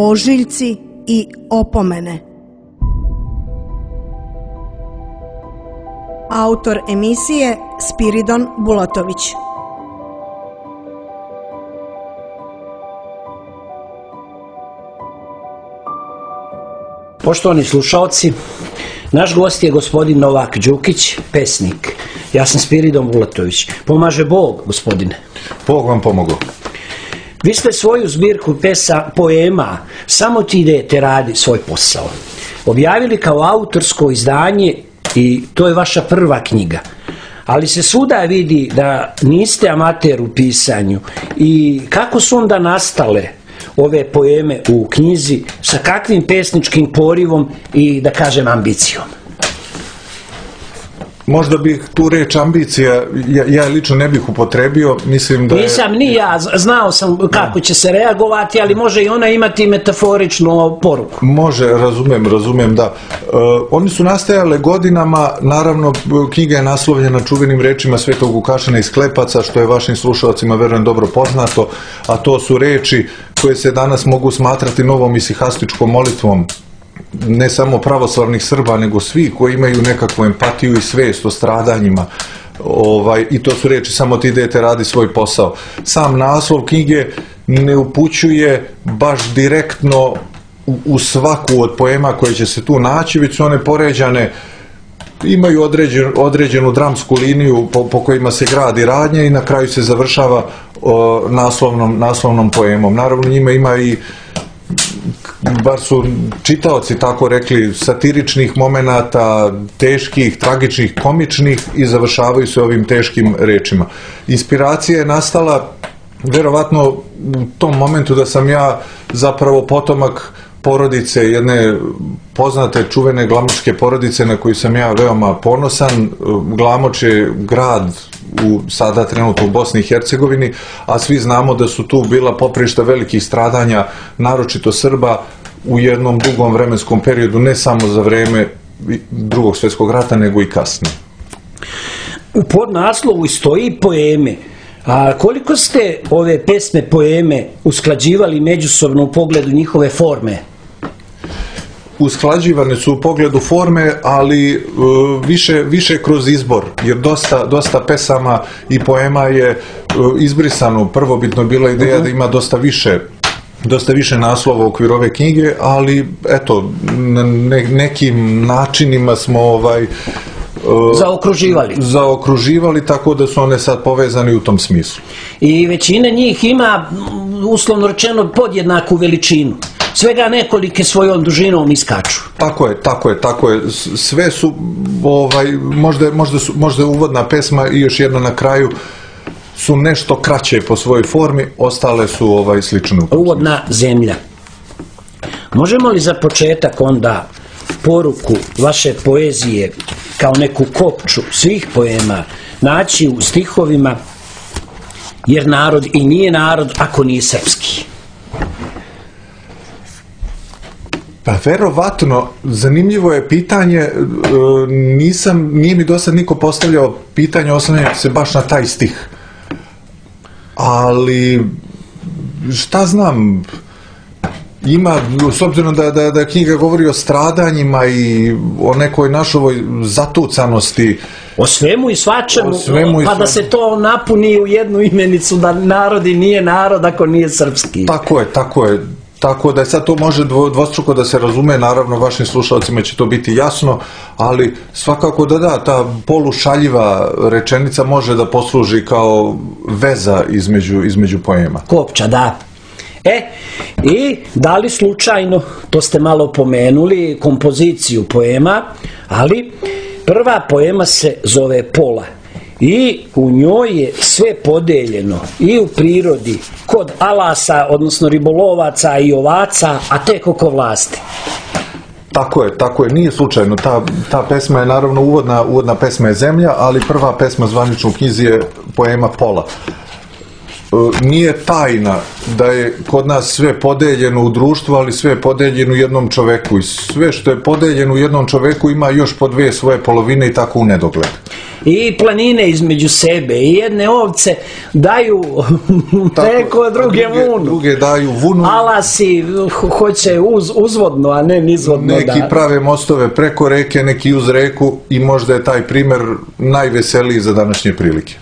ožiljci i opomene. Autor emisije Spiridon Bulatović. Poštovani slušalci, naš gost je gospodin Novak Đukić, pesnik. Ja sam Spiridon Bulatović. Pomaže Bog, gospodine. Bog vam pomogao. Vi ste svoju zbirku poema Samo ti idete radi svoj posao objavili kao autorsko izdanje i to je vaša prva knjiga. Ali se svuda vidi da niste amater u pisanju. I kako su onda nastale ove poeme u knjizi, sa kakvim pesničkim porivom i, da kažem, ambicijom? Možda bih tu reč ambicija, ja lično ne bih upotrebio, mislim da je... Nisam ni ja, znao sam kako će se reagovati, ali može i ona imati metaforičnu poruku. Može, razumem, da. Oni su nastajale godinama, naravno knjiga je naslovljena čuvenim rečima Svetog Vukašina iz Klepaca, što je vašim slušalcima verujem dobro poznato, a to su reči koje se danas mogu smatrati novom isihastičkom molitvom, ne samo pravoslavnih Srba, nego svi koji imaju nekakvu empatiju i svest o stradanjima. I to su reči samo ti idete radi svoj posao. Sam naslov knjige ne upućuje baš direktno u svaku od poema koje će se tu naći, već su one poređane, imaju određenu dramsku liniju po kojima se gradi radnja i na kraju se završava naslovnom poemom. Naravno njima ima i, bar su čitaoci tako rekli, satiričnih momenata, teških, tragičnih, komičnih i završavaju se ovim teškim rečima. Inspiracija je nastala verovatno u tom momentu da sam ja zapravo potomak porodice, jedne poznate čuvene glamočke porodice na koju sam ja veoma ponosan. Glamoč je grad sada trenutno u Bosni i Hercegovini, a svi znamo da su tu bila poprišta velikih stradanja, naročito Srba, u jednom dugom vremenskom periodu, ne samo za vreme Drugog svjetskog rata, nego i kasnije. U podnaslovu stoji poeme. A koliko ste ove pesme, poeme usklađivali međusobno u pogledu njihove forme? Usklađivane su u pogledu forme, ali više kroz izbor, jer dosta pesama i poema je izbrisano. Prvobitno bila ideja da ima dosta više naslova u okviru ove knjige, ali eto, nekim načinima smo zaokruživali, tako da su one sad povezane u tom smislu. I većina njih ima, uslovno rečeno, podjednaku veličinu. Svega nekolike svojom dužinom iskaču. Tako je. Sve su, možda je uvodna pesma i još jedna na kraju, su nešto kraće po svojoj formi, ostale su slične. Uvodna zemlja. Možemo li za početak onda poruku vaše poezije kao neku kopču svih poema naći u stihovima, jer narod i nije narod ako nije srpski? Pa verovatno, zanimljivo je pitanje, nije mi do sad niko postavljao pitanje oslanjajući se baš na taj stih. Ali, šta znam, ima, s obzirom da knjiga govori o stradanjima i o nekoj našoj zatucanosti. O svemu i svačemu, pa da se to napuni u jednu imenicu, da narod i nije narod ako nije srpski. Tako je. Tako da sad to može dvostruko da se razume, naravno vašim slušalcima će to biti jasno, ali svakako da, ta polušaljiva rečenica može da posluži kao veza između poema. Kopča, da. I da li slučajno, to ste malo pomenuli, kompoziciju poema, ali prva poema se zove Pola. I u njoj je sve podeljeno i u prirodi, kod alasa, odnosno ribolovaca i ovaca, a tek oko vlasti. Tako je, nije slučajno. Ta pesma je naravno uvodna pesma je Zemlja, ali prva pesma zvanična u knjizi je poema Pola. nije tajna da je kod nas sve podeljeno u društvu, ali sve je podeljeno u jednom čoveku i sve što je podeljeno u jednom čoveku ima još po dvije svoje polovine i tako u nedogled. I planine između sebe, i jedne ovce daju preko, druge daju vunu. Alasi hoće uzvodno, a ne nizvodno. Neki prave mostove preko reke, neki uz reku i možda je taj primjer najveseliji za današnje prilike.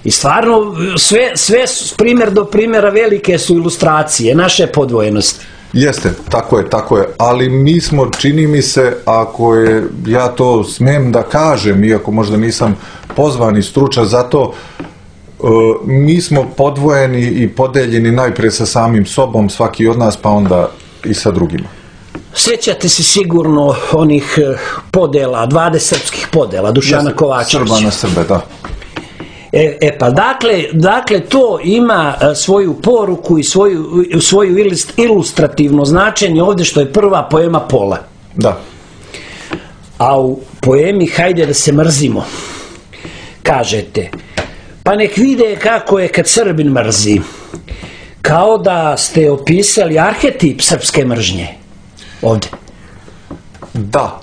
I stvarno, sve primjer do primjera velike su ilustracije, naše podvojenosti. Jeste, tako je, ali mi smo, čini mi se, ako je, ja to smem da kažem, iako možda nisam pozvan i stručan za to, mi smo podvojeni i podeljeni najprije sa samim sobom, svaki od nas, pa onda i sa drugima. Sjećate se sigurno onih podela, 20 srpskih podela, Dušana Kovačevića. Srba na Srbe, da. Pa dakle to ima svoju poruku i svoju ilustrativno značenje ovdje što je prva poema Pola. Da. A u poemi Hajde da se mrzimo kažete: pa nek vide kako je kad Srbin mrzi, kao da ste opisali arhetip srpske mržnje ovdje. Da,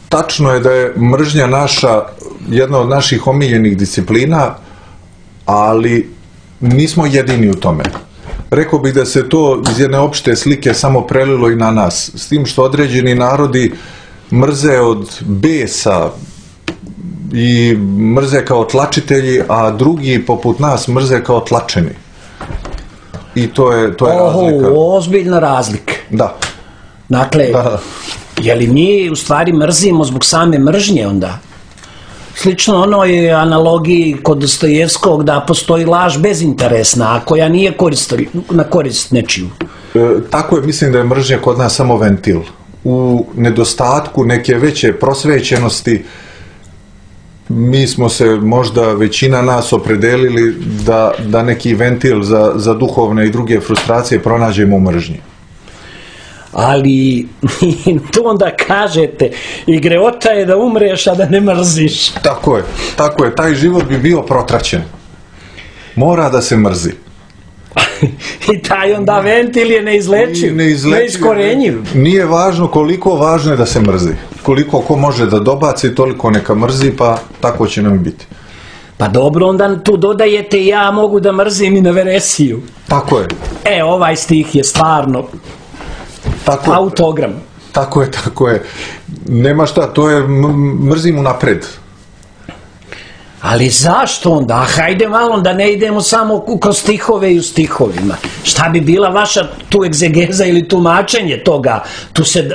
tačno je da je mržnja naša jedna od naših omiljenih disciplina, ali nismo jedini u tome. Rekao bih da se to iz jedne opšte slike samo prelilo i na nas, s tim što određeni narodi mrze od besa i mrze kao tlačitelji, a drugi poput nas mrze kao tlačeni. I to je razlika. Ozbiljna razlika. Da. Dakle, je li mi u stvari mrzimo zbog same mržnje onda? Slično onoj analogiji kod Dostojevskog da postoji laž bezinteresna, a koja nije na korist nečiju. Tako je, mislim da je mržnja kod nas samo ventil. U nedostatku neke veće prosvećenosti mi smo se, možda većina nas, opredelili da neki ventil za duhovne i druge frustracije pronađemo u mržnji. Ali to onda kažete, i greota je da umreš, a da ne mrziš. Tako je, taj život bi bio protraćen. Mora da se mrzi. I taj onda ventil je neizlečiv, neiskorenjiv. Nije važno koliko, važno je da se mrzi. Koliko ko može da dobaci, toliko neka mrzi, pa tako će nam biti. Pa dobro, onda tu dodajete ja mogu da mrzim i na veresiju. Tako je. Ovaj stih je stvarno autogram. Tako je. Nema šta, to je mrzim unapred. Ali zašto onda? Hajde malo da ne idemo samo kroz stihove i u stihovima. Šta bi bila vaša tu egzegeza ili tumačenje toga?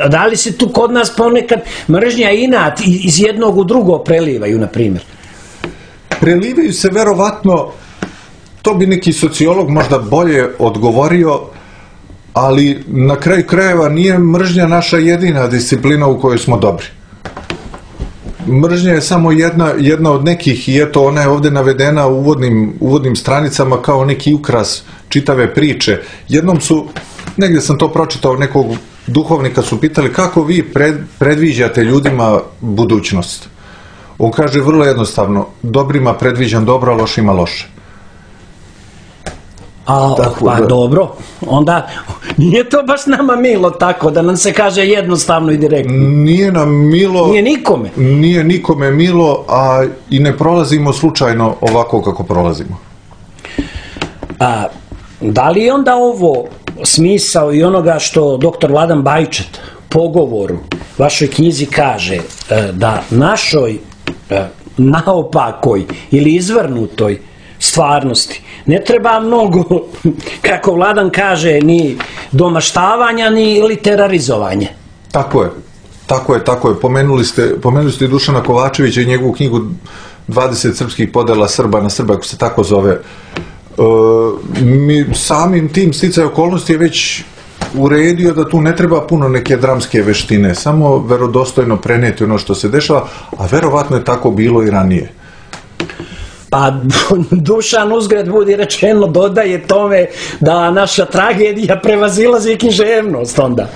Da li se tu kod nas ponekad mržnja i inat iz jednog u drugo prelivaju, na primjer? Prelivaju se verovatno, to bi neki sociolog možda bolje odgovorio, ali na kraju krajeva nije mržnja naša jedina disciplina u kojoj smo dobri. Mržnja je samo jedna od nekih, i eto ona je ovdje navedena u uvodnim stranicama kao neki ukras čitave priče. Jednom negdje sam to pročitao, nekog duhovnika su pitali kako vi predviđate ljudima budućnost. On kaže vrlo jednostavno: dobrima predviđam dobro, a lošima loše. Dobro, onda nije to baš nama milo tako da nam se kaže jednostavno i direktno. Nije nam milo. Nije nikome. Nije nikome milo, a i ne prolazimo slučajno ovako kako prolazimo. Da li je onda ovo smisao i onoga što dr. Vladan Bajčet pogovoru vašoj knjizi kaže, da našoj naopakoj ili izvrnutoj stvarnosti ne treba mnogo, kako Vladan kaže, ni domaštavanja ni literarizovanje? Tako je. Pomenuli ste Dušana Kovačevića i njegovu knjigu 20 srpskih podela Srba na Srba, ako se tako zove. Samim tim sticaj okolnosti je već uredio da tu ne treba puno neke dramske veštine, samo verodostojno prenijeti ono što se dešava, a verovatno je tako bilo i ranije. Pa Dušan, uzgred budi rečeno, dodaje tome da naša tragedija prevazilazi književnost onda.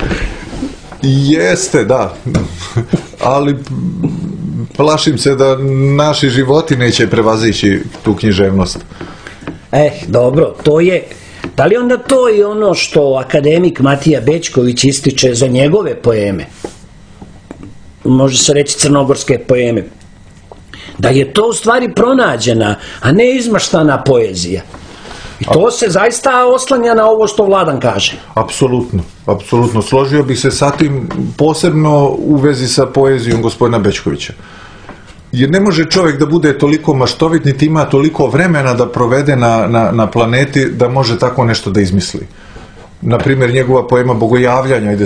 Jeste, da. Ali plašim se da naši životi neće prevazići tu književnost. Dobro, to je... Da li onda to i ono što akademik Matija Bećković ističe za njegove poeme? Može se reći crnogorske poeme. Da je to u stvari pronađena, a ne izmaštana poezija. I to se zaista oslanja na ovo što Vladan kaže. Apsolutno. Složio bih se sa tim, posebno u vezi sa poezijom gospodina Bećkovića. Jer ne može čovjek da bude toliko maštovit, niti ima toliko vremena da provede na planeti, da može tako nešto da izmisli. Naprimjer, njegova poema Bogojavljanja,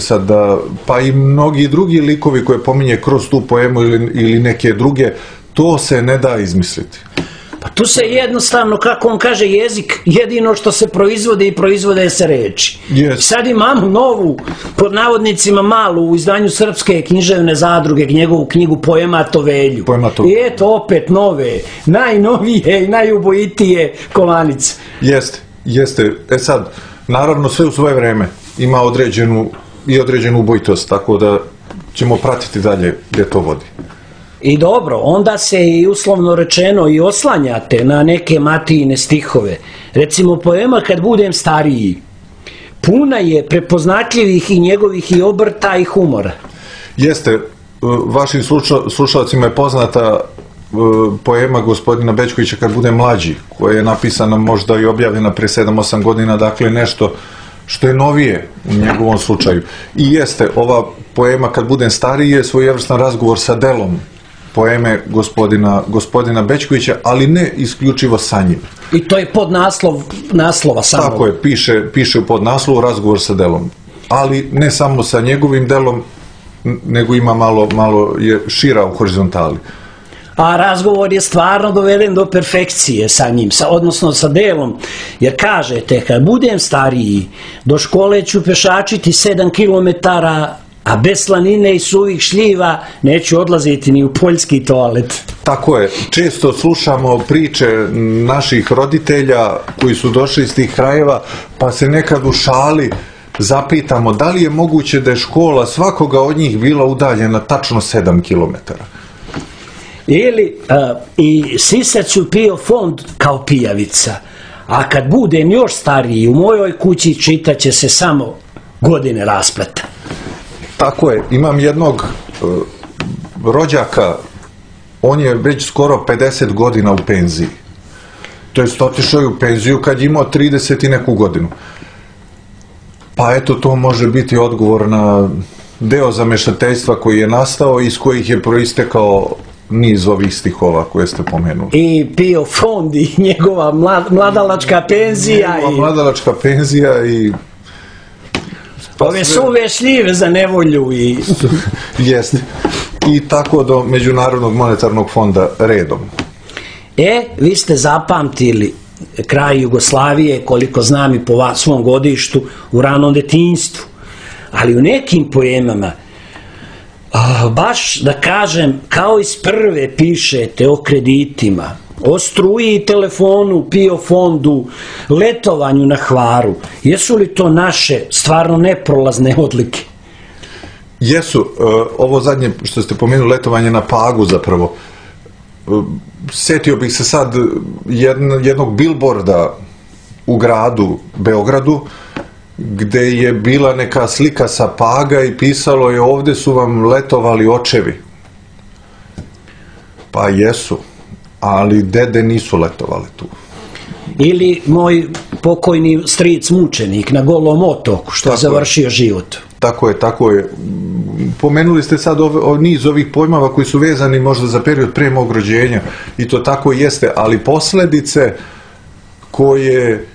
pa i mnogi drugi likovi koje pominje kroz tu poemu ili neke druge, to se ne da izmisliti. Pa tu se jednostavno, kako on kaže, jezik, jedino što se proizvode i proizvode se reči. Yes. Sad imamo novu, pod navodnicima malu, u izdanju Srpske književne zadruge, njegovu knjigu Poema Tovelju. I eto opet nove, najnovije i najubojitije kovanice. Jeste. Sad, naravno sve u svoje vreme ima određenu ubojitost, tako da ćemo pratiti dalje gdje to vodi. I dobro, onda se i uslovno rečeno i oslanjate na neke Matijine stihove. Recimo poema Kad budem stariji, puna je prepoznatljivih i njegovih i obrta i humora. Jeste, vašim slušalcima je poznata poema gospodina Bećkovića Kad budem mlađi, koja je napisana možda i objavljena pre 7-8 godina, dakle nešto što je novije u njegovom slučaju. I jeste, ova poema Kad budem stariji je svojevrstan razgovor sa delom poeme gospodina Bećkovića, ali ne isključivo sa njim. I to je naslova samo. Tako je, piše u podnaslovu razgovor sa delom. Ali ne samo sa njegovim delom, nego ima malo je šira u horizontali. A razgovor je stvarno doveden do perfekcije sa njim, odnosno sa delom, jer kažete, kad budem stariji, do škole ću pešačiti 7 kilometara, a bez slanine i suvih šljiva neću odlaziti ni u poljski toalet. Tako je. Često slušamo priče naših roditelja koji su došli iz tih krajeva, pa se nekad u šali zapitamo da li je moguće da je škola svakoga od njih bila udaljena tačno 7 kilometara. Ili i sisaću pio fond kao pijavica, a kad budem još stariji, u mojoj kući čitaće se samo godine raspleta. Tako je, imam jednog rođaka, on je već skoro 50 godina u penziji. To je otišao je u penziju kad je imao 30 i neku godinu. Pa eto, to može biti odgovor na deo zamešateljstva koji je nastao i iz kojih je proistekao niz ovih stihova koje ste pomenuli. I pio fond i njegova mladalačka penzija. Mladalačka penzija i... Ove suve šljive za nevolju i... Jeste. I tako do Međunarodnog monetarnog fonda redom. Vi ste zapamtili kraj Jugoslavije, koliko znam i po svom godištu, u ranom detinjstvu. Ali u nekim poemama, baš da kažem, kao iz prve pišete o kreditima, o struji i telefonu, PIO fondu, letovanju na Hvaru. Jesu li to naše stvarno neprolazne odlike? Jesu. Ovo zadnje što ste pomenuli, letovanje na Pagu zapravo. Setio bih se sad jednog bilborda u gradu Beogradu, gde je bila neka slika sa Paga i pisalo je ovde su vam letovali očevi. Pa jesu, ali dede nisu letovali tu. Ili moj pokojni stric mučenik na Golom otoku, što je završio život. Tako je. Pomenuli ste sad niz ovih pojmova koji su vezani možda za period pre mog rođenja i to tako jeste, ali posledice koje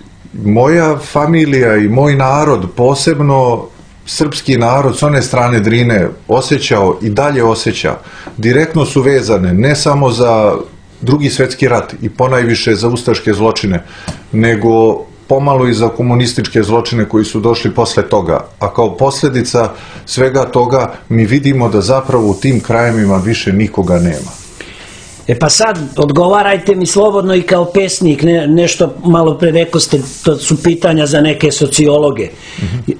moja familija i moj narod, posebno srpski narod s one strane Drine, osjećao i dalje osjeća, direktno su vezane ne samo za Drugi svjetski rat i ponajviše za ustaške zločine, nego pomalo i za komunističke zločine koji su došli posle toga. A kao posljedica svega toga mi vidimo da zapravo u tim krajevima više nikoga nema. Pa sad, odgovarajte mi slobodno i kao pesnik, nešto malo pre rekao ste, to su pitanja za neke sociologe.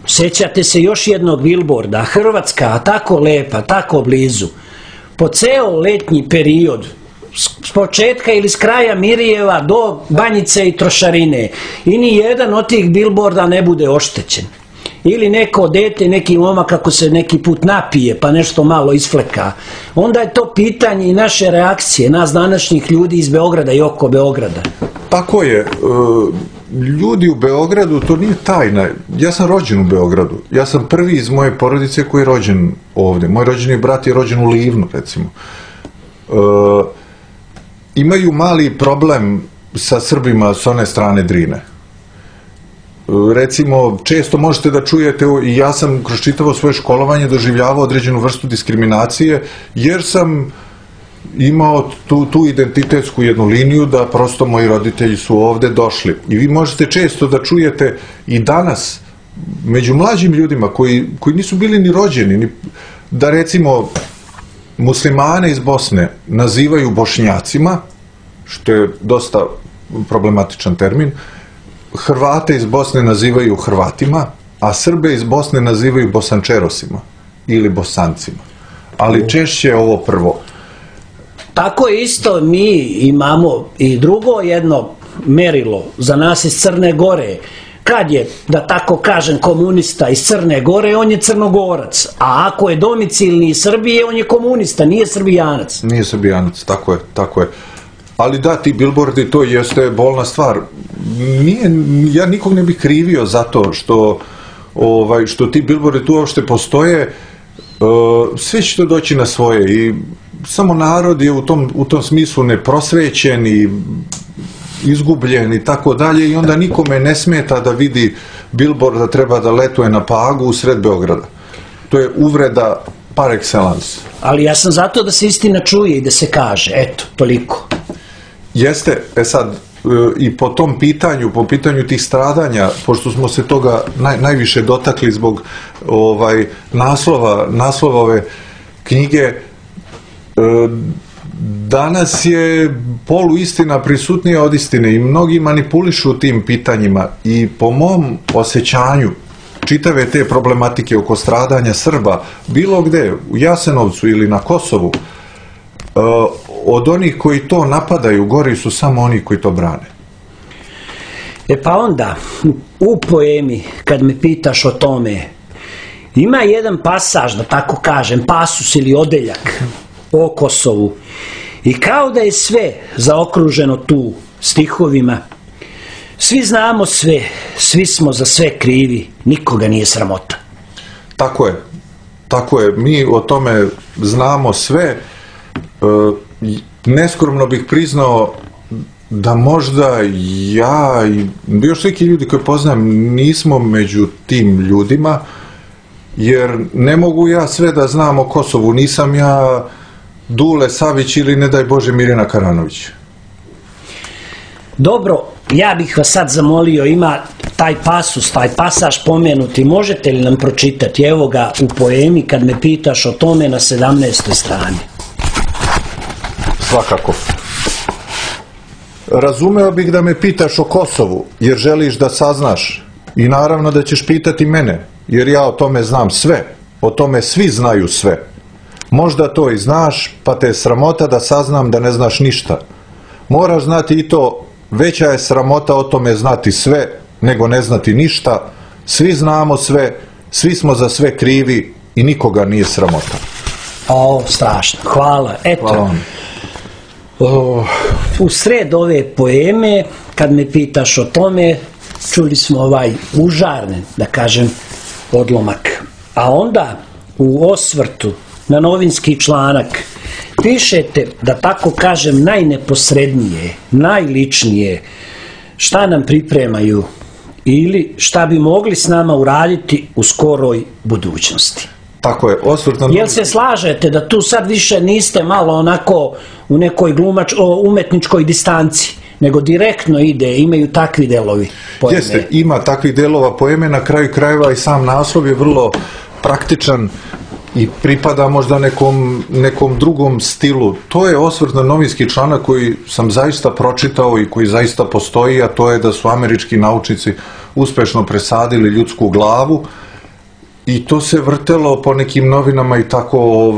Sjećate se još jednog bilborda, Hrvatska, tako lepa, tako blizu. Po ceo letnji period s početka ili s kraja Mirjeva do Banjice i Trošarine i ni jedan od tih bilborda ne bude oštećen. Ili neko dete, neki momak kako se neki put napije pa nešto malo isfleka, onda je to pitanje i naše reakcije, nas današnjih ljudi iz Beograda i oko Beograda. Tako je. Ljudi u Beogradu, to nije tajna. Ja sam rođen u Beogradu. Ja sam prvi iz moje porodice koji je rođen ovdje. Moj rođeni brat je rođen u Livnu, recimo. Imaju mali problem sa Srbima s one strane Drine. Recimo, često možete da čujete, i ja sam kroz čitavo svoje školovanje doživljavao određenu vrstu diskriminacije, jer sam imao tu identitetsku jednu liniju da prosto moji roditelji su ovde došli. I vi možete često da čujete i danas među mlađim ljudima koji nisu bili ni rođeni, da recimo muslimane iz Bosne nazivaju Bošnjacima, što je dosta problematičan termin, Hrvate iz Bosne nazivaju Hrvatima, a Srbe iz Bosne nazivaju Bosančerosima ili Bosancima. Ali češće ovo prvo. Tako isto mi imamo i drugo jedno merilo za nas iz Crne Gore. Kad je, da tako kažem, komunista iz Crne Gore, on je Crnogorac. A ako je domicilni iz Srbije, on je komunista, nije Srbijanac. Nije Srbijanac, tako je. Ali da, ti bilbordi, to jeste bolna stvar. Ja nikog ne bih krivio zato što ti bilbordi tu uopšte postoje. Sve će to doći na svoje i samo narod je u tom smislu neprosvećen i izgubljen i tako dalje i onda nikome ne smeta da vidi bilbord da treba da letuje na Pagu u sred Beograda. To je uvreda par excellence. Ali ja sam zato da se istina čuje i da se kaže, eto, toliko. Jeste, sad, i po tom pitanju, po pitanju tih stradanja, pošto smo se toga najviše dotakli zbog naslova ove knjige, danas je poluistina prisutnija od istine i mnogi manipulišu tim pitanjima i po mom osjećanju čitave te problematike oko stradanja Srba, bilo gde, u Jasenovcu ili na Kosovu, od onih koji to napadaju, gori su samo oni koji to brane. Pa onda, u poemi, kad me pitaš o tome, ima jedan pasaž, da tako kažem, pasus ili odeljak o Kosovu. I kao da je sve zaokruženo tu stihovima, svi znamo sve, svi smo za sve krivi, nikoga nije sramota. Tako je, mi o tome znamo sve. Neskromno bih priznao da možda ja i još neki ljudi koje poznam nismo među tim ljudima, jer ne mogu ja sve da znam o Kosovu, nisam ja Dule Savić ili ne daj Bože Mirjana Karanović. Dobro, ja bih vas sad zamolio, ima taj pasus, taj pasaž pomenuti, možete li nam pročitati? Evo ga u poemi kad me pitaš o tome na 17. strani. Svakako. Razumeo bih da me pitaš o Kosovu, jer želiš da saznaš. I naravno da ćeš pitati mene, jer ja o tome znam sve. O tome svi znaju sve. Možda to i znaš, pa te je sramota da saznam da ne znaš ništa. Moraš znati i to, veća je sramota o tome znati sve, nego ne znati ništa. Svi znamo sve, svi smo za sve krivi i nikoga nije sramota. Strašno. Hvala. Eto. Hvala vam. U sred ove poeme, kad me pitaš o tome, čuli smo ovaj užarnen, da kažem, odlomak. A onda u osvrtu na novinski članak pišete, da tako kažem, najneposrednije, najličnije, šta nam pripremaju ili šta bi mogli s nama uraditi u skoroj budućnosti. Tako je, osvrtno... Jel se slažete da tu sad više niste malo onako u nekoj umetničkoj distanci, nego direktno ide, imaju takvi delovi poeme? Jeste, ima takvih delova poeme, na kraju krajeva i sam naslov je vrlo praktičan i pripada možda nekom drugom stilu. To je osvrt na novinski članak koji sam zaista pročitao i koji zaista postoji, a to je da su američki naučnici uspešno presadili ljudsku glavu i to se vrtelo po nekim novinama i tako,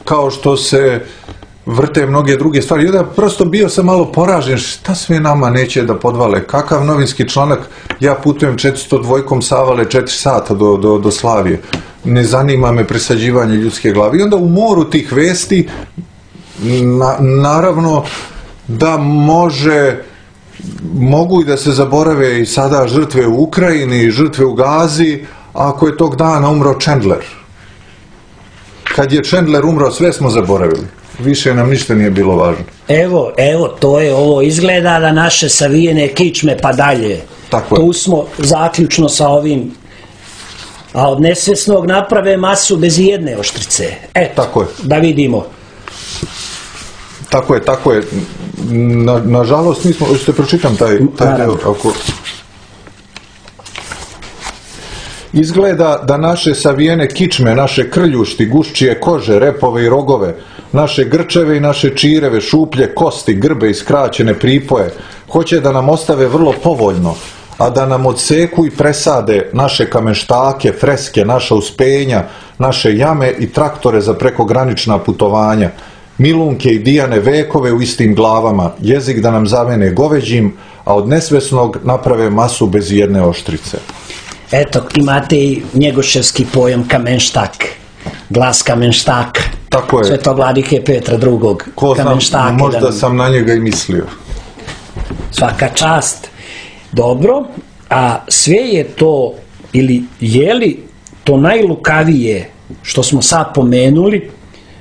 kao što se vrte mnoge druge stvari. I onda prosto bio sam malo poražen, šta sve nama neće da podvale, kakav novinski članak, ja putujem 402 Savale 4 sata do Slavije, ne zanima me presađivanje ljudske glave. I onda u moru tih vesti, naravno da mogu i da se zaborave i sada žrtve u Ukrajini, žrtve u Gazi, ako je tog dana umro Chandler. Kad je Chandler umro, sve smo zaboravili. Više nam ništa nije bilo važno. Evo, to je ovo, izgleda da naše savijene kičme pa dalje. Tako je. Tu smo zaključno sa ovim, a od nesvjesnog naprave masu bez jedne oštrice. Eto, tako je. Da vidimo. Tako je. Nažalost, nismo, hoćete pročitam taj deo, ako... Izgleda da naše savijene kičme, naše krljušti, guščije kože, repove i rogove, naše grčeve i naše čireve, šuplje kosti, grbe i skraćene pripoje, hoće da nam ostave vrlo povoljno, a da nam odseku i presade naše kamenštake, freske, naša uspenja, naše jame i traktore za prekogranična putovanja, milunke i dijane vekove u istim glavama, jezik da nam zamene goveđim, a od nesvesnog naprave masu bez jedne oštrice. Eto, imate i njegoševski pojam kamenštak, glas kamenštaka. Tako je. Svetovladike Petra II. Ko znam, možda sam na njega i mislio. Svaka čast. Dobro, a sve je to, ili je li to najlukavije što smo sad pomenuli,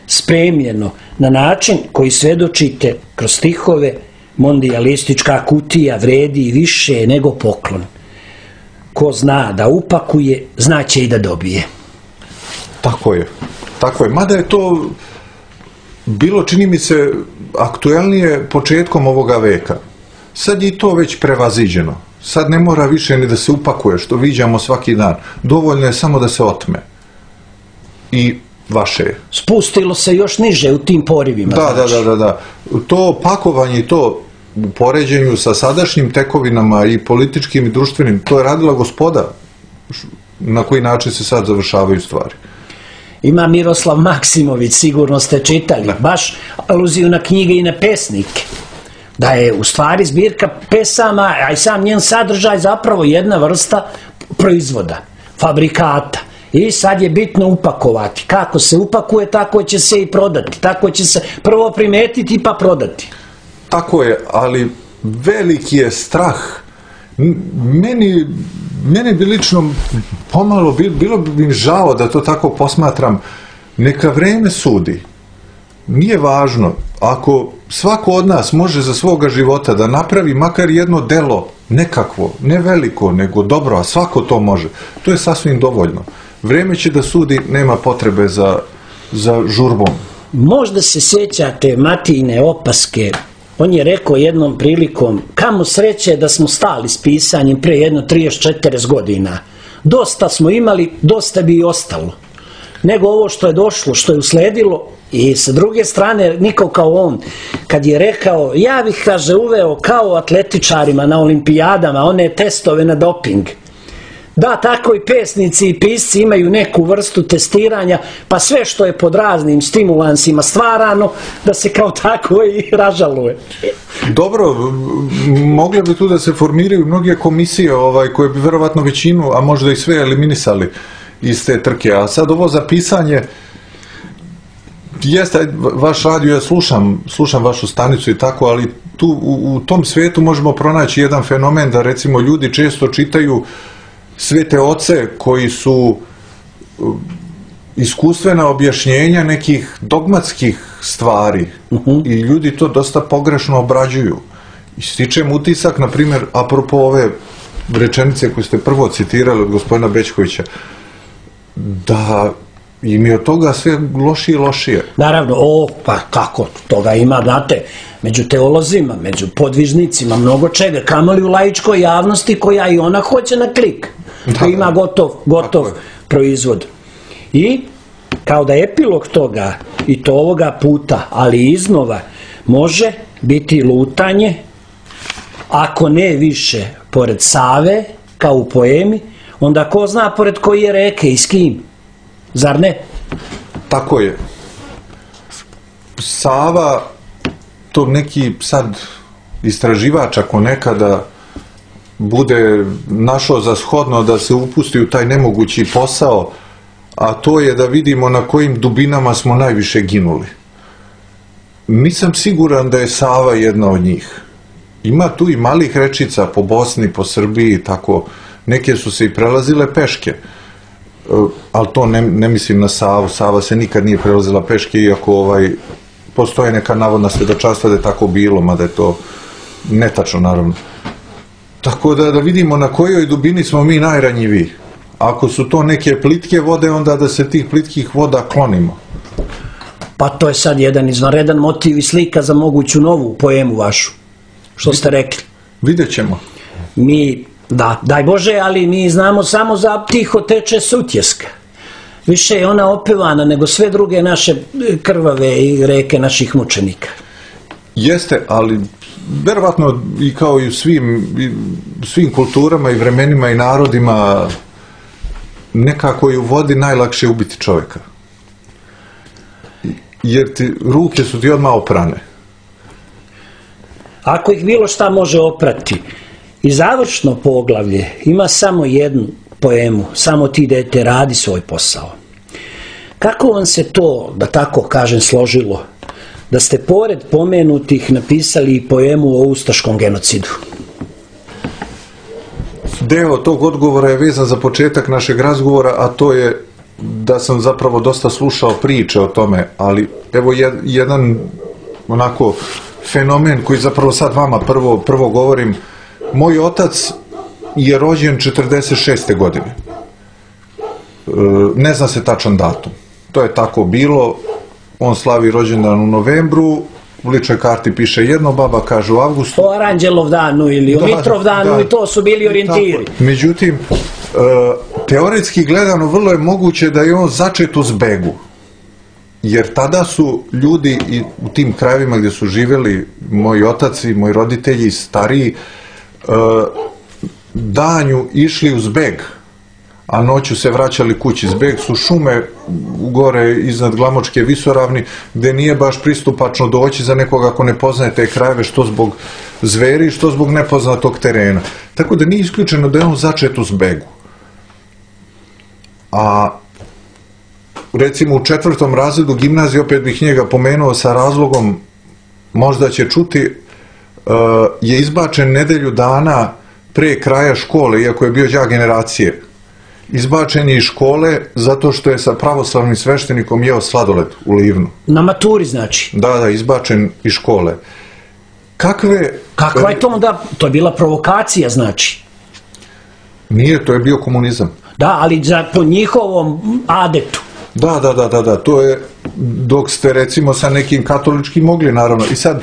spremljeno na način koji svedočite kroz stihove, mondijalistička kutija vredi i više nego poklon. Ko zna da upakuje, znaće i da dobije. Tako je. Mada je to bilo, čini mi se, aktuelnije početkom ovoga veka. Sad je to već prevaziđeno. Sad ne mora više ni da se upakuje, što viđamo svaki dan. Dovoljno je samo da se otme. I vaše je. Spustilo se još niže u tim porivima. Da. To pakovanje i to u poređenju sa sadašnjim tekovinama i političkim i društvenim, to je radila Gospoda. Na koji način se sad završavaju stvari. Ima Miroslav Maksimović, sigurno ste čitali, baš aluziju na knjige i na pesnike. Da je u stvari zbirka pesama, a i sam njen sadržaj zapravo jedna vrsta proizvoda, fabrikata. I sad je bitno upakovati. Kako se upakuje, tako će se i prodati. Tako će se prvo primetiti pa prodati. Tako je, ali veliki je strah. Meni bi lično pomalo, bilo bi mi žao da to tako posmatram. Neka vreme sudi. Nije važno. Ako svako od nas može za svoga života da napravi makar jedno delo nekakvo, ne veliko, nego dobro, a svako to može, to je sasvim dovoljno. Vreme će da sudi, nema potrebe za žurbom. Možda se sjećate Matijine opaske. On je rekao jednom prilikom, kamo sreće da smo stali s pisanjem prije jedno 30-40 godina. Dosta smo imali, dosta bi i ostalo. Nego ovo što je došlo, što je usledilo. I sa druge strane, niko kao on, kad je rekao, ja bih, kaže, uveo kao atletičarima na olimpijadama one testove na doping. Da, tako i pesnici i pisci imaju neku vrstu testiranja, pa sve što je pod raznim stimulansima stvarano, da se kao tako i ražaluje. Dobro, mogle bi tu da se formiraju mnoge komisije koje bi verovatno većinu, a možda i sve eliminisali iz te trke. A sad ovo za pisanje, jeste, vaš radio, ja slušam vašu stanicu i tako, ali tu u tom svijetu možemo pronaći jedan fenomen da recimo ljudi često čitaju svete oce koji su iskustvena objašnjenja nekih dogmatskih stvari i ljudi to dosta pogrešno obrađuju. I stičem utisak, na primjer, apropo ove rečenice koje ste prvo citirali od gospodina Bećkovića, da im je od toga sve lošije i lošije. Naravno, pa kako, toga ima, znate, među teolozima, među podvižnicima, mnogo čega, kamoli u laičkoj javnosti koja i ona hoće na klik. To ima gotov proizvod. I kao da epilog toga, i to ovoga puta, ali iznova, može biti lutanje, ako ne više pored Save, kao u poemi, onda ko zna pored koje reke i s kim. Zar ne? Tako je. Sava, to neki sad istraživač ako nekada bude našao za shodno da se upusti u taj nemogući posao, a to je da vidimo na kojim dubinama smo najviše ginuli. Nisam siguran da je Sava jedna od njih. Ima tu i malih rečica po Bosni, po Srbiji, tako, neke su se i prelazile peške, ali to ne mislim na Savu. Sava se nikad nije prelazila peške, iako postoje neka navodna svedočanstva da je tako bilo, mada je to netačno, naravno. Tako da vidimo na kojoj dubini smo mi najranjiviji. Ako su to neke plitke vode, onda da se tih plitkih voda klonimo. Pa to je sad jedan izvanredan motiv i slika za moguću novu poemu vašu, što ste rekli. Vidjet ćemo. Mi, da, daj Bože, ali mi znamo samo za Tiho teče Sutjeska. Više je ona opevana nego sve druge naše krvave i reke naših mučenika. Jeste, ali verovatno i kao i u svim kulturama i vremenima i narodima, nekako je u vodi najlakše ubiti čovjeka. Jer ruke su ti odmah oprane. Ako ih bilo šta može oprati, i završno poglavlje ima samo jednu poemu, samo ti dete radi svoj posao. Kako vam se to, da tako kažem, složilo, da ste pored pomenutih napisali i poemu o ustaškom genocidu? Deo tog odgovora je vezan za početak našeg razgovora, a to je da sam zapravo dosta slušao priče o tome, ali evo jedan onako fenomen koji zapravo sad vama prvo govorim. Moj otac je rođen 46. godine. Ne zna se tačan datum. To je tako bilo. On slavi rođendan u novembru, u ličnoj karti piše jedno, baba kaže u avgustu. O Aranđelov danu ili o Mitrov danu, i to su bili orijentiri. Međutim, teoretski gledano vrlo je moguće da je on začet u Zbegu. Jer tada su ljudi i u tim krajevima gdje su živjeli moji otaci, moji roditelji stariji, danju išli u Zbeg, a noću se vraćali kući. Zbeg su šume gore iznad Glamočke visoravni, gdje nije baš pristupačno doći za nekoga ako ne poznaje te krajeve, što zbog zveri, što zbog nepoznatog terena. Tako da nije isključeno da je on začet u Zbegu. A recimo u 4. razredu gimnazije, opet bih njega pomenuo sa razlogom, možda će čuti, je izbačen nedelju dana pre kraja škole, iako je bio đak generacije. Izbačen je iz škole zato što je sa pravoslavnim sveštenikom jeo sladoled u Livnu. Na maturi znači? Da, izbačen iz škole. Kakva je to onda? To je bila provokacija znači? Nije, to je bio komunizam. Da, ali po njihovom adetu. Da, to je dok ste recimo sa nekim katoličkim mogli, naravno. I sad,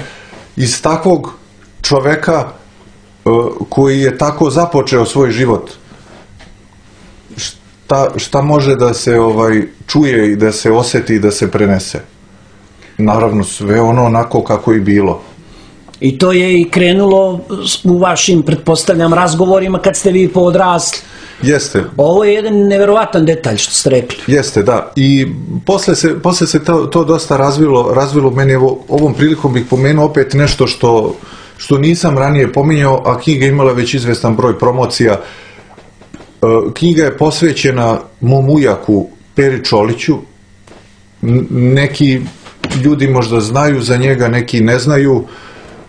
iz takvog čoveka koji je tako započeo svoj život, šta može da se čuje i da se osjeti i da se prenese? Naravno, sve ono onako kako i bilo. I to je i krenulo u vašim, pretpostavljam, razgovorima kad ste vi poodrasli. Jeste. Ovo je jedan neverovatan detalj što ste rekli. Jeste, da. I posle se to dosta razvilo meni. Ovom prilikom bih pomenuo opet nešto što nisam ranije pominjao, a knjiga imala već izvestan broj promocija. Knjiga je posvećena mom ujaku Peri Čoliću. Neki ljudi možda znaju za njega, neki ne znaju.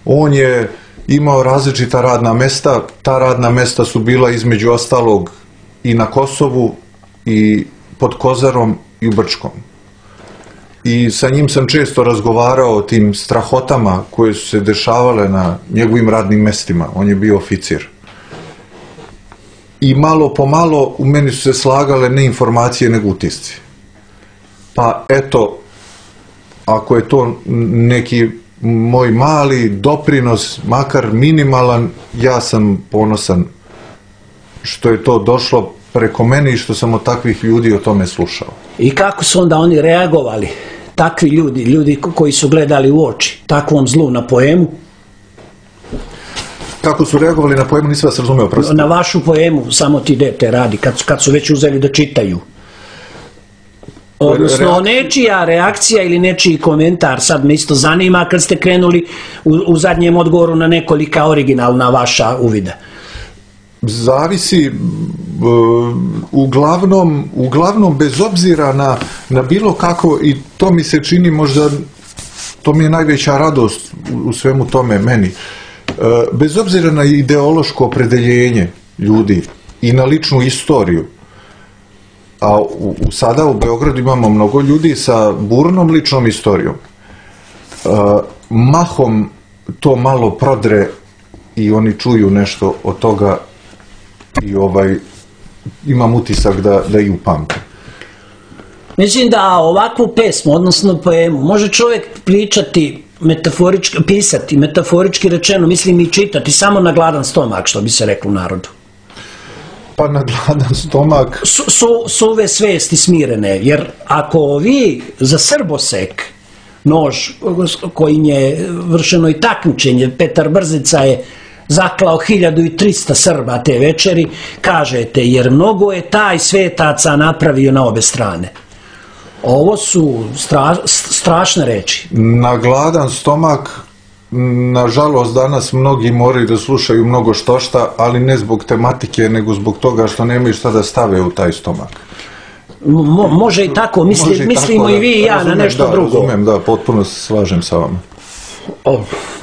On je imao različita radna mesta. Ta radna mesta su bila između ostalog i na Kosovu, i pod Kozarom, i u Brčkom. I sa njim sam često razgovarao o tim strahotama koje su se dešavale na njegovim radnim mestima. On je bio oficir. I malo po malo u meni su se slagale ne informacije nego utisci. Pa eto, ako je to neki moj mali doprinos, makar minimalan, ja sam ponosan što je to došlo preko mene i što sam od takvih ljudi o tome slušao. I kako su onda oni reagovali, takvi ljudi koji su gledali u oči takvom zlu na poemu? Kako su reagovali na poemu, nisam vas razumeo, prosto. Na vašu poemu, samo ti dete radi, kad su već uzeli da čitaju. Odnosno, nečija reakcija ili nečiji komentar, sad me isto zanima kad ste krenuli u zadnjem odgovoru na nekolika originalna vaša uvida. Zavisi, uglavnom bez obzira na bilo kako, i to mi se čini možda, to mi je najveća radost u svemu tome meni, bez obzira na ideološko opredeljenje ljudi i na ličnu istoriju, a sada u Beogradu imamo mnogo ljudi sa burnom ličnom istorijom, mahom to malo prodre i oni čuju nešto od toga i imam utisak da i upamte. Mislim da ovakvu pesmu, odnosno poemu, može čovjek pričati pisati metaforički rečeno, mislim i čitati samo na gladan stomak, što bi se reklo u narodu. Pa na gladan stomak... Suve svesti smirene, jer ako vi za srbosek nož kojim je vršeno i takmičenje, Petar Brzica je zaklao 1300 Srba te večeri, kažete, jer mnogo je taj svetaca napravio na obe strane. Ovo su strašne reči. Na gladan stomak, nažalost, danas mnogi moraju da slušaju mnogo štošta, ali ne zbog tematike, nego zbog toga što nemaju šta da stave u taj stomak. Može i tako, mislimo i vi i ja na nešto drugo. Razumem, da, potpuno se slažem sa vama.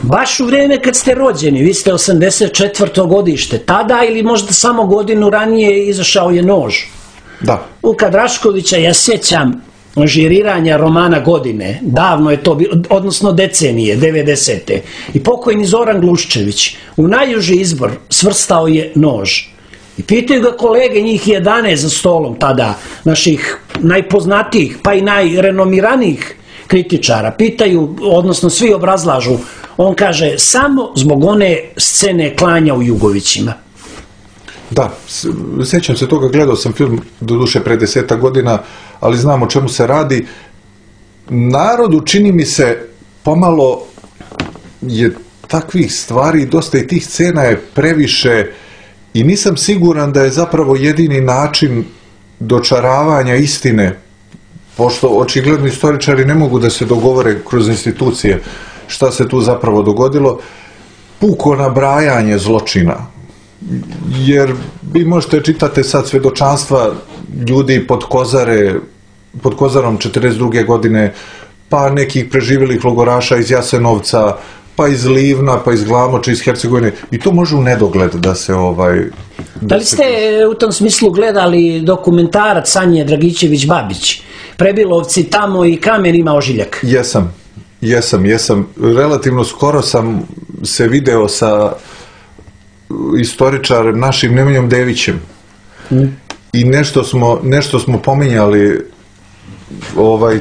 Baš u vrijeme kad ste rođeni, vi ste 84. godište, tada ili možda samo godinu ranije izašao je Nož. Da. Vuka Draškovića, ja sjećam žiriranja romana godine, davno je to bilo, odnosno decenije, 90. I pokojni Zoran Gluščević u najuži izbor svrstao je Nož. I pitaju ga kolege, njih 11 za stolom tada, naših najpoznatijih, pa i najrenomiranijih kritičara, pitaju, odnosno svi obrazlažu, on kaže, samo zbog one scene klanja u Jugovićima. Da, sjećam se toga, gledao sam film, doduše pre 10 godina, ali znam o čemu se radi. Narodu, čini mi se, pomalo je takvih stvari, dosta i tih scena je previše i nisam siguran da je zapravo jedini način dočaravanja istine, pošto očigledno istoričari ne mogu da se dogovore kroz institucije šta se tu zapravo dogodilo, puko nabrajanje zločina. Jer vi možete čitate sad svedočanstva ljudi pod Kozarom 42. godine, pa nekih preživjelih logoraša iz Jasenovca, pa iz Livna, pa iz Glamoča, iz Hercegovine, i to može u nedogled da se Da li ste u tom smislu gledali dokumentarac Sanje Dragićević-Babić, Prebilovci tamo i kamen ima ožiljak? Jesam. Relativno skoro sam se video sa istoričarem našim Nemanjom Devićem i nešto smo pominjali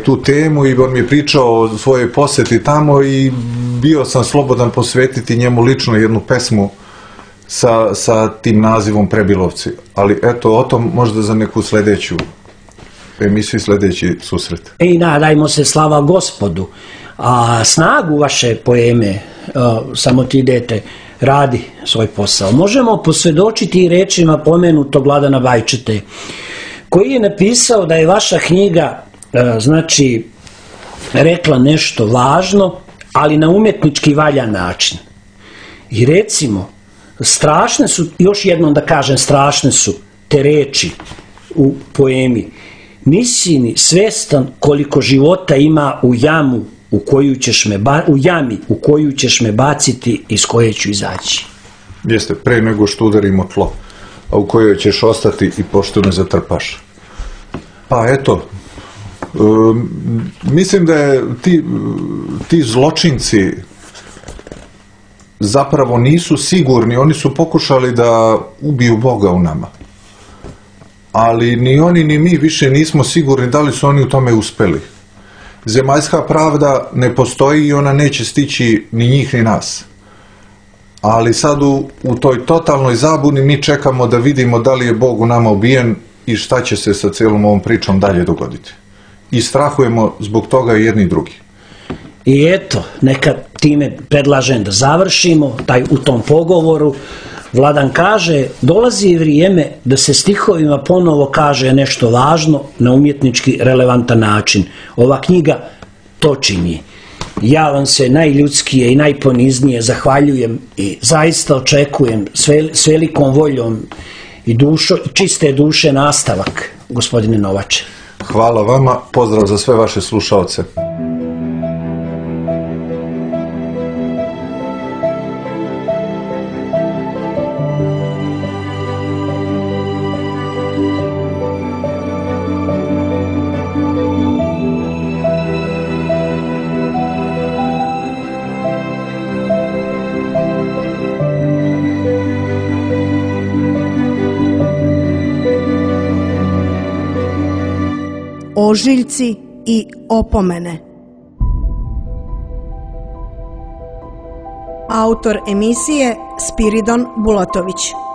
tu temu i on mi je pričao o svojoj posjeti tamo i bio sam slobodan posvetiti njemu lično jednu pesmu sa tim nazivom Prebilovci. Ali eto, o tom možda za neku sljedeću emisiju, sljedeći susret. I nadajmo se, slava Gospodu. A snagu vaše poeme, samo ti idete, radi svoj posao. Možemo posvjedočiti i rečima pomenutog Vladana Vajčete, koji je napisao da je vaša knjiga, znači, rekla nešto važno, ali na umjetnički valjan način. I recimo, strašne su, još jednom da kažem, strašne su te reči u poemi. Nisi ni svestan koliko života ima u jami u koju ćeš me baciti, iz koje ću izaći. Jeste, pre nego što udarimo tlo, a u kojoj ćeš ostati i pošto ne zatrpaš. Pa eto, mislim da je ti zločinci zapravo nisu sigurni, oni su pokušali da ubiju Boga u nama. Ali ni oni ni mi više nismo sigurni da li su oni u tome uspeli. Zemaljska pravda ne postoji i ona neće stići ni njih ni nas. Ali sad u toj totalnoj zabuni mi čekamo da vidimo da li je Bog u nama ubijen i šta će se sa cijelom ovom pričom dalje dogoditi. I strahujemo zbog toga i jedni i drugi. I eto, neka time predlažem da završimo u tom pogovoru. Vladan kaže, dolazi vrijeme da se stihovima ponovo kaže nešto važno na umjetnički relevantan način. Ova knjiga to čini. Ja vam se najljudskije i najponiznije zahvaljujem i zaista očekujem s velikom voljom i čiste duše nastavak, gospodine Novače. Hvala vama, pozdrav za sve vaše slušaoce. Ožiljci i opomene. Autor emisije Spiridon Bulatović.